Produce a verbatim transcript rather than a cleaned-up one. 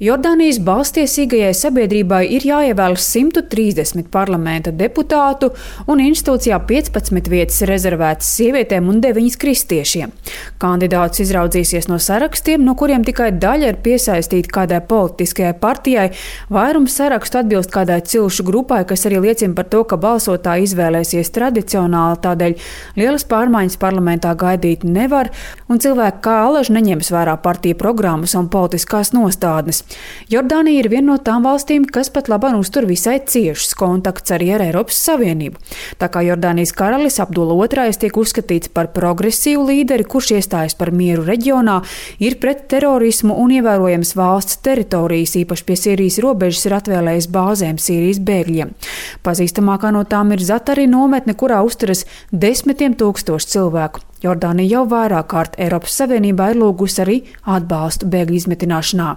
Jordānijas balstiesīgajai sabiedrībai ir jāievēl simt trīsdesmit parlamenta deputātu un institūcijā piecpadsmit vietas rezervētas sievietēm un deviņas kristiešiem. Kandidātus izraudzīsies no sarakstiem, no kuriem tikai daļa ir piesaistīta kādai politiskajai partijai. Vairums sarakstu atbilst kādai cilšu grupai, kas arī liecina par to, ka balsotāji izvēlēsies tradicionāli, tādēļ lielas pārmaiņas parlamentā gaidīt nevar, un cilvēki kā alaži neņems vērā partiju programmas un politiskās nostādnes. Jordānija ir viena no tām valstīm, kas pat labāk uztur visai ciešus kontakts arī ar Eiropas Savienību. Tā kā Jordānijas karalis Abdula otrais tiek uzskatīts par progresīvu līderi, kurš iestājas par mieru reģionā, ir pret terorismu un ievērojams valsts teritorijas, īpaši pie Sīrijas robežas, ir atvēlējis bāzēm Sīrijas bēgļiem. Pazīstamākā no tām ir Zatari nometne, kurā uzturas desmitiem tūkstoši cilvēku. Jordānija jau vairāk kārt Eiropas Savienībā ir lūgusi arī atbalstu bēgļu izmitināšanā.